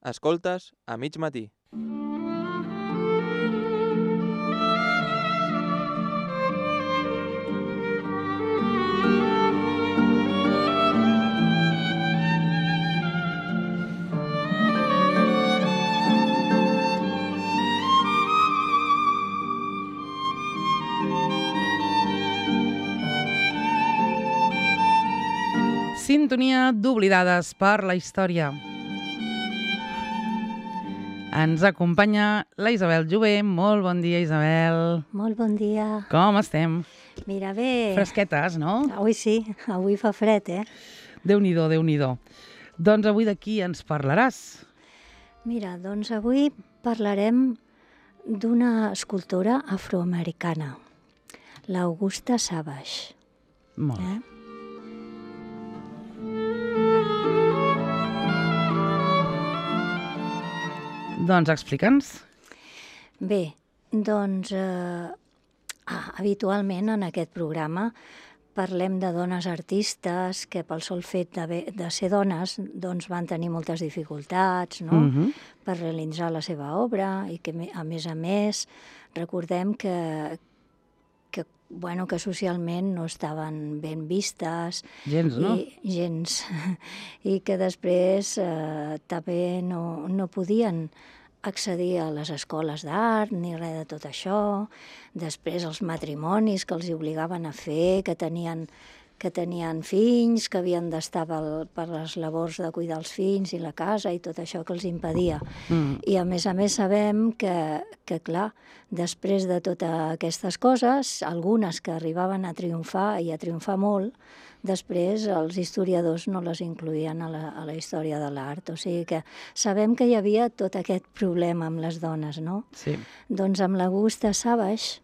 Escoltes a mig matí. Sintonia d'Oblidades per la història. Ens acompanya la Isabel Jové. Molt bon dia, Isabel. Molt bon dia. Com estem? Mira, bé... Fresquetes, no? Avui sí, avui fa fred, Déu-n'hi-do, Déu-n'hi-do. Doncs avui de qui ens parlaràs? Mira, doncs avui parlarem d'una escultora afroamericana, l'Augusta Savage. Molt bé. Doncs explica'ns. Bé, doncs habitualment en aquest programa parlem de dones artistes que pel sol fet de ser dones doncs van tenir moltes dificultats, no? Per realitzar la seva obra i que a més recordem que socialment no estaven ben vistes. Gens, no? Gens. I que després també no podien accedir a les escoles d'art ni res de tot això. Després els matrimonis que els obligaven a fer, que tenien fills, que havien d'estar per les labors de cuidar els fills i la casa i tot això que els impedia. I a més sabem que clar, després de totes aquestes coses, algunes que arribaven a triomfar i a triomfar molt, després els historiadors no les incloïen a la història de l'art. O sigui que sabem que hi havia tot aquest problema amb les dones, no? Sí. Doncs amb l'Augusta Savage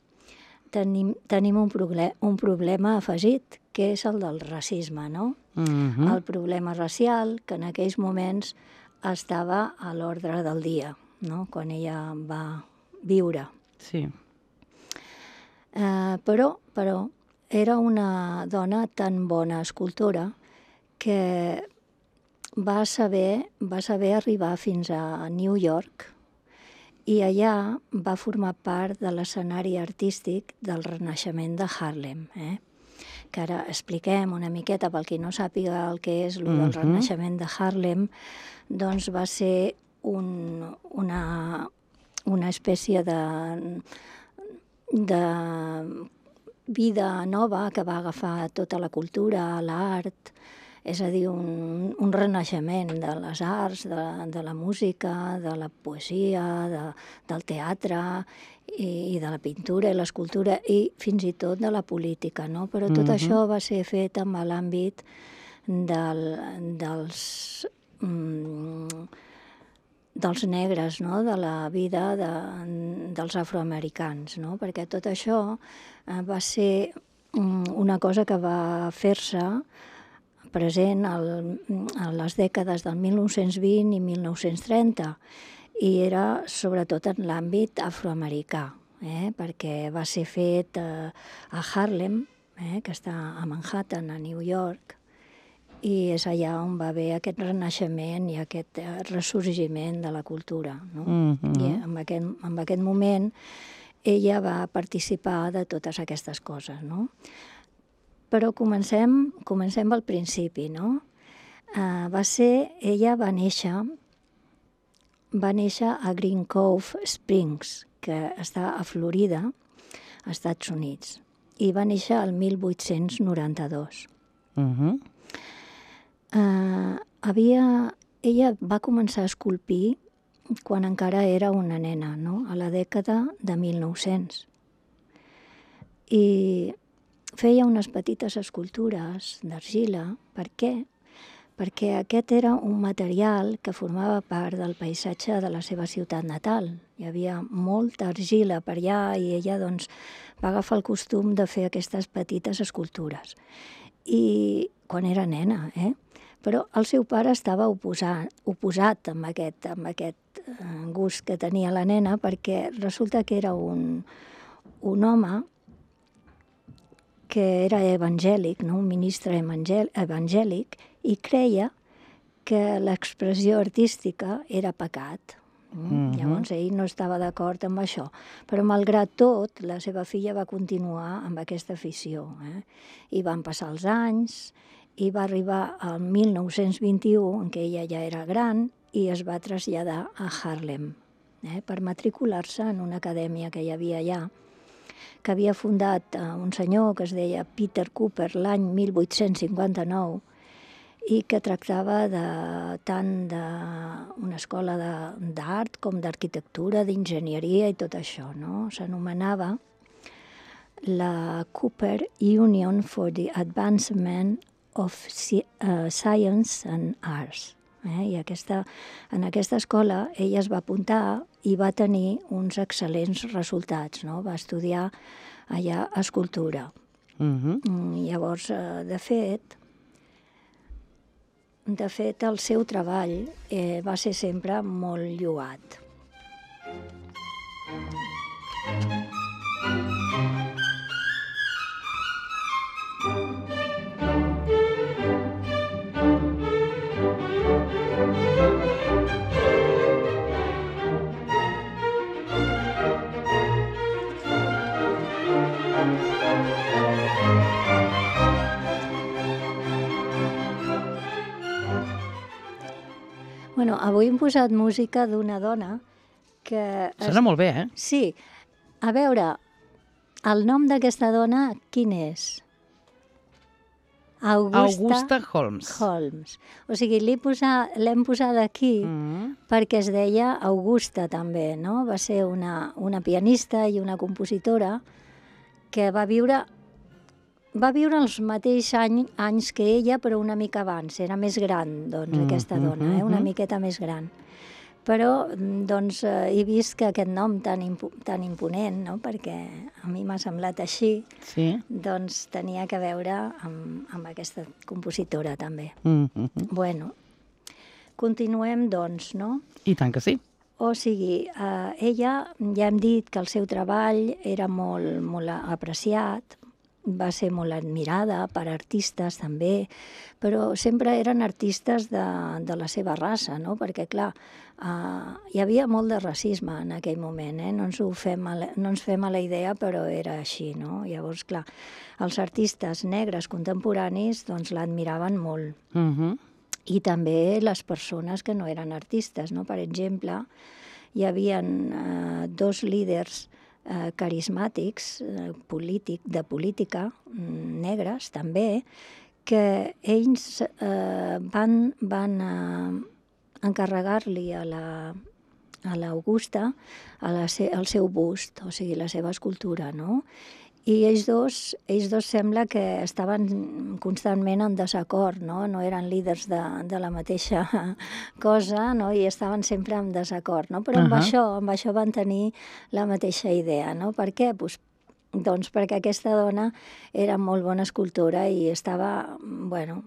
tenim un problema afegit, que és el del racisme, no? El problema racial, que en aquells moments estava a l'ordre del dia, no? Quan ella va viure. Sí. Però era una dona tan bona escultora que va saber arribar fins a New York i allà va formar part de l'escenari artístic del Renaixement de Harlem, que ara expliquem una miqueta pel qui no sàpiga el que és el del Renaixement de Harlem, doncs va ser una espècie de vida nova que va agafar tota la cultura, l'art, és a dir, un renaixement de les arts, de la música, de la poesia, del teatre i de la pintura i l'escultura i fins i tot de la política, no? Però tot això va ser fet amb l'àmbit dels negres, no? De la vida dels afroamericans, no? Perquè tot això va ser una cosa que va fer-se present a les dècades del 1920 i 1930 i era sobretot en l'àmbit afroamericà, perquè va ser fet a Harlem, que està a Manhattan, a New York, i és allà on va haver aquest renaixement i aquest ressorgiment de la cultura, no? I en aquest moment ella va participar de totes aquestes coses, no? Però comencem al principi, no? Ella va néixer a Green Cove Springs, que està a Florida, als Estats Units, i va néixer el 1892. Ella va començar a esculpir quan encara era una nena, no? A la dècada de 1900. I feia unes petites escultures d'argila. Per què? Perquè aquest era un material que formava part del paisatge de la seva ciutat natal. Hi havia molta argila per allà i ella doncs, va agafar el costum de fer aquestes petites escultures. I quan era nena, Però el seu pare estava oposat amb aquest gust que tenia la nena perquè resulta que era un home que era evangèlic, no? Un ministre evangèlic, i creia que l'expressió artística era pecat. Llavors ell no estava d'acord amb això, però malgrat tot la seva filla va continuar amb aquesta afició. I van passar els anys i va arribar al 1921, en què ella ja era gran, i es va traslladar a Harlem per matricular-se en una acadèmia que hi havia allà, que havia fundat un senyor que es deia Peter Cooper l'any 1859 i que tractava tant d'una escola d'art com d'arquitectura, d'enginyeria i tot això, no? S'anomenava la Cooper Union for the Advancement of Science and Arts. I en aquesta escola ella es va apuntar i va tenir uns excel·lents resultats, no? Va estudiar allà escultura. Llavors, de fet, el seu treball va ser sempre molt lloat. Bueno, avui hem posat música d'una dona que... Sona molt bé, Sí. A veure, el nom d'aquesta dona, quin és? Augusta Holmes. O sigui, l'hem posat aquí perquè es deia Augusta també, no? Va ser una pianista i una compositora que va viure els mateixos anys que ella, però una mica abans. Era més gran, doncs, aquesta dona, una miqueta més gran. Però, doncs, he vist que aquest nom tan imponent, no?, perquè a mi m'ha semblat així, doncs tenia que veure amb aquesta compositora, també. Bueno, continuem, doncs, no? I tant que sí. O sigui, ella, ja hem dit que el seu treball era molt, molt apreciat, va ser molt admirada per artistes també, però sempre eren artistes de la seva raça, no? Perquè, clar, hi havia molt de racisme en aquell moment, no ens fem a la idea, però era així, no? Llavors, clar, els artistes negres contemporanis doncs l'admiraven molt. I també les persones que no eren artistes, no? Per exemple, hi havia dos líders carismàtics de política, negres també, que ells van encarregar-li a l'Augusta el seu bust, o sigui, la seva escultura, no? I ells dos sembla que estaven constantment en desacord, no? No eren líders de la mateixa cosa, no? I estaven sempre en desacord, no? Però amb això van tenir la mateixa idea, no? Per què? Doncs perquè aquesta dona era molt bona escultora i estava, bueno,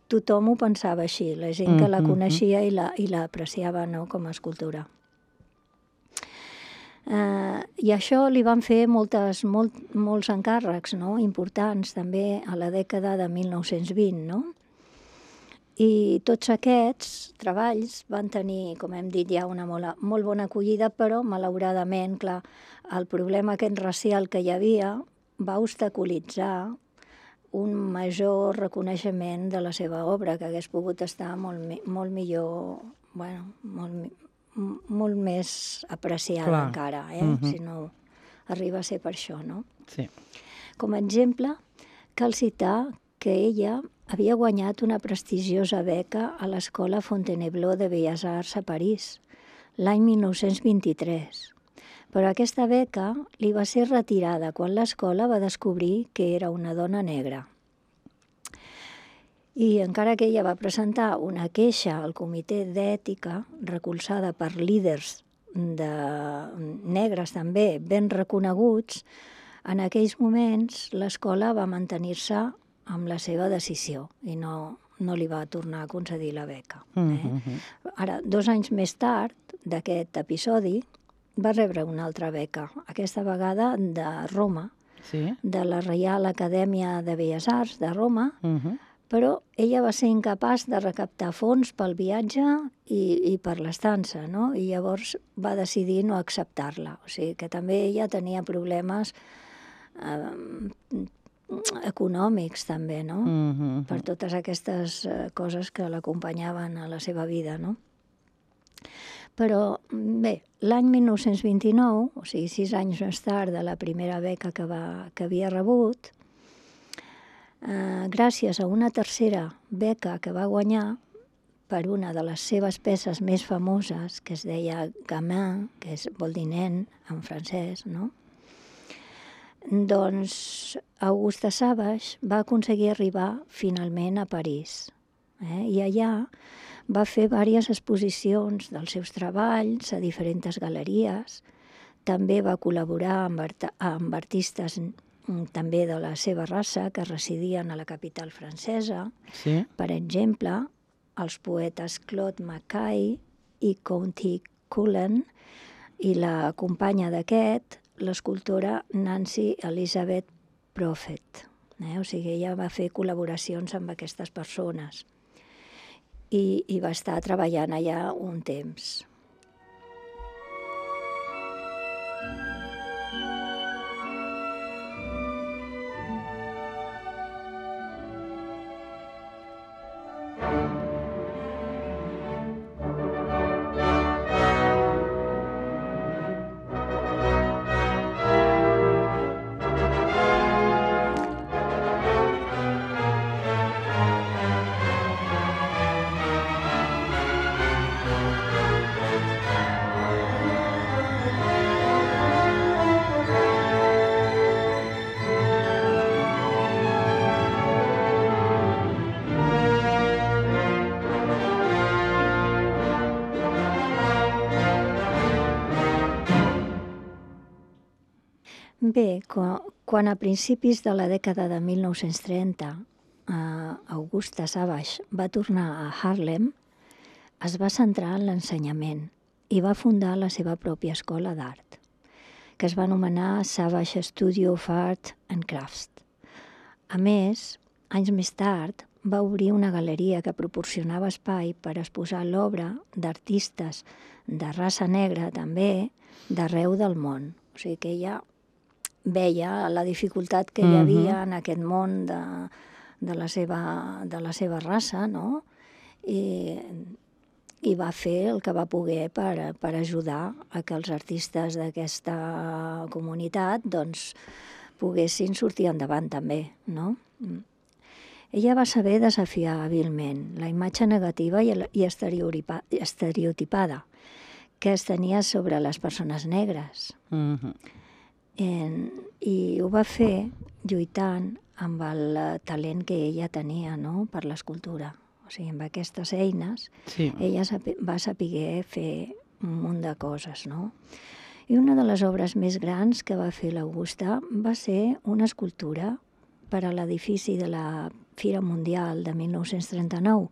tothom ho pensava així, la gent que la coneixia i l'apreciava, no?, com a escultura. I això li van fer molts encàrrecs, no?, importants també a la dècada de 1920, no? I tots aquests treballs van tenir, com hem dit ja, una molt bona acollida, però malauradament, clar, el problema aquest racial que hi havia va obstaculitzar un major reconeixement de la seva obra, que hagués pogut estar molt millor, bueno, molt més apreciada encara, si no arriba a ser per això, no? Sí. Com a exemple, cal citar que ella havia guanyat una prestigiosa beca a l'Escola Fontainebleau de Belles Arts a París l'any 1923. Però aquesta beca li va ser retirada quan l'escola va descobrir que era una dona negra. I encara que ella va presentar una queixa al comitè d'ètica, recolzada per líders negres també ben reconeguts, en aquells moments l'escola va mantenir-se amb la seva decisió i no li va tornar a concedir la beca. Ara, 2 anys més tard d'aquest episodi, va rebre una altra beca, aquesta vegada de Roma, de la Reial Acadèmia de Belles Arts de Roma, però ella va ser incapaç de recaptar fons pel viatge i per l'estança, no? I llavors va decidir no acceptar-la. O sigui que també ella tenia problemes econòmics també, no? Per totes aquestes coses que l'acompanyaven a la seva vida, no? Però bé, l'any 1929, o sigui 6 anys més tard de la primera beca que havia rebut, gràcies a una tercera beca que va guanyar per una de les seves peces més famoses, que es deia Gamin, que vol dir nen en francès, no? Doncs Augusta Savage va aconseguir arribar finalment a París. I allà va fer diverses exposicions dels seus treballs a diferents galeries. També va col·laborar amb artistes també de la seva raça que residien a la capital francesa. Sí. Per exemple, els poetes Claude Mackay i Countee Cullen i la companya d'aquest, l'escultora Nancy Elizabeth Prophet. O sigui, ella va fer col·laboracions amb aquestes persones i va estar treballant allà un temps. Bé, quan a principis de la dècada de 1930 Augusta Savage va tornar a Harlem, es va centrar en l'ensenyament i va fundar la seva pròpia escola d'art, que es va anomenar Savage Studio of Art and Crafts. A més, anys més tard, va obrir una galeria que proporcionava espai per exposar l'obra d'artistes de raça negra també d'arreu del món. O sigui que ella veia la dificultat que hi havia en aquest món de la seva raça, no? I va fer el que va poder per ajudar a que els artistes d'aquesta comunitat doncs, poguessin sortir endavant també, no? Ella va saber desafiar hàbilment la imatge negativa i estereotipada que es tenia sobre les persones negres. I ho va fer lluitant amb el talent que ella tenia, no?, per l'escultura. O sigui, amb aquestes eines, ella va saber fer un munt de coses, no? I una de les obres més grans que va fer l'Augusta va ser una escultura per a l'edifici de la Fira Mundial de 1939,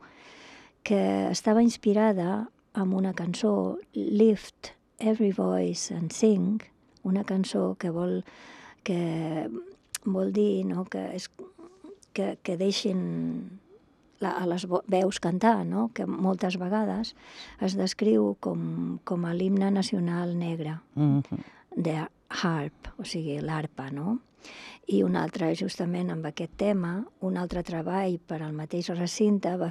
que estava inspirada en una cançó, Lift Every Voice and Sing, una cançó que vol dir, no?, que deixin a les veus cantar, no?, que moltes vegades es descriu com a l'himne nacional negre, de harp, o sigui, l'arpa, no? I un altre, justament amb aquest tema, un altre treball per al mateix recinte va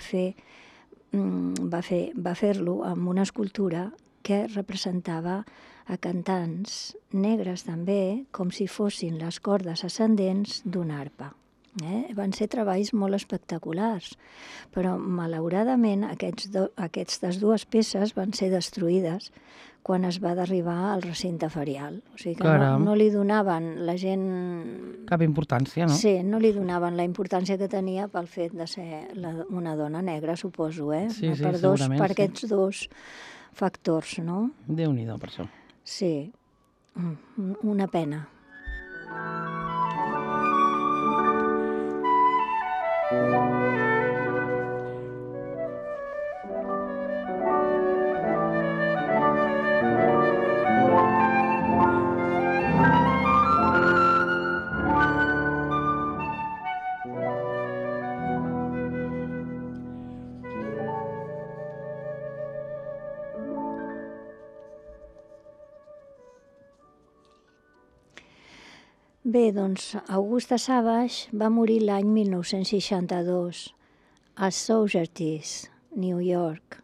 fer-lo amb una escultura que representava a cantants negres també, com si fossin les cordes ascendents d'una arpa. Van ser treballs molt espectaculars, però malauradament aquestes dues peces van ser destruïdes quan es va derribar al recinte ferial. O sigui que no li donaven la gent... Cap importància, no? Sí, no li donaven la importància que tenia pel fet de ser una dona negra, suposo, Sí, segurament. Per aquests dos factors, no? Déu-n'hi-do, per això. Sí, una pena. Bé, doncs Augusta Savage va morir l'any 1962 a Saugerties, New York.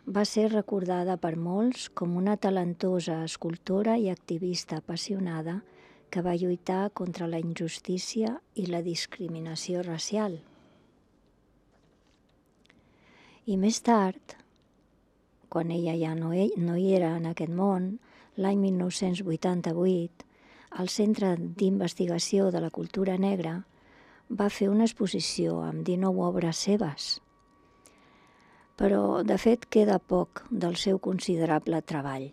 Va ser recordada per molts com una talentosa escultora i activista apassionada que va lluitar contra la injustícia i la discriminació racial. I més tard, quan ella ja no hi era en aquest món, l'any 1988, el Centre d'Investigació de la Cultura Negra va fer una exposició amb 19 obres seves. Però, de fet, queda poc del seu considerable treball,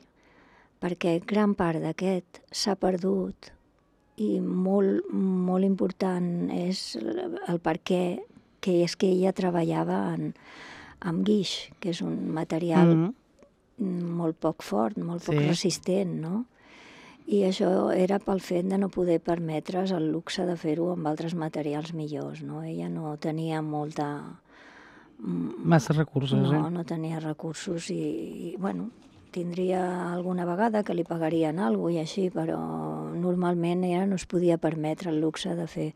perquè gran part d'aquest s'ha perdut i molt important és el perquè, que és que ella treballava amb guix, que és un material molt poc fort, molt poc resistent, no? I això era pel fet de no poder permetre's el luxe de fer-ho amb altres materials millors, no? Ella no tenia massa recursos, No tenia recursos i bueno, tindria alguna vegada que li pagarien alguna cosa i així, però normalment ella no es podia permetre el luxe de fer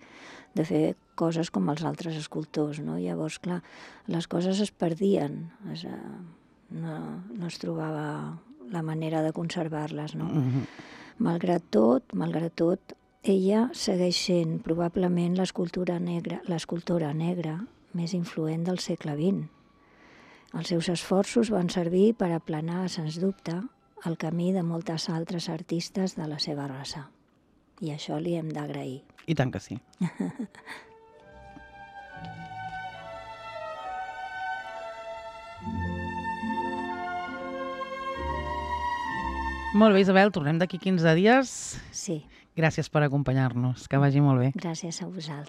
coses com els altres escultors, no? Llavors, clar, les coses es perdien, no es trobava la manera de conservar-les, no? Malgrat tot, ella segueix sent probablement l'escultora negra més influent del segle XX. Els seus esforços van servir per aplanar, sens dubte, el camí de moltes altres artistes de la seva raça. I això li hem d'agrair. I tant que sí. Molt bé, Isabel, tornem d'aquí 15 dies. Sí. Gràcies per acompanyar-nos. Que vagi molt bé. Gràcies a vosaltres.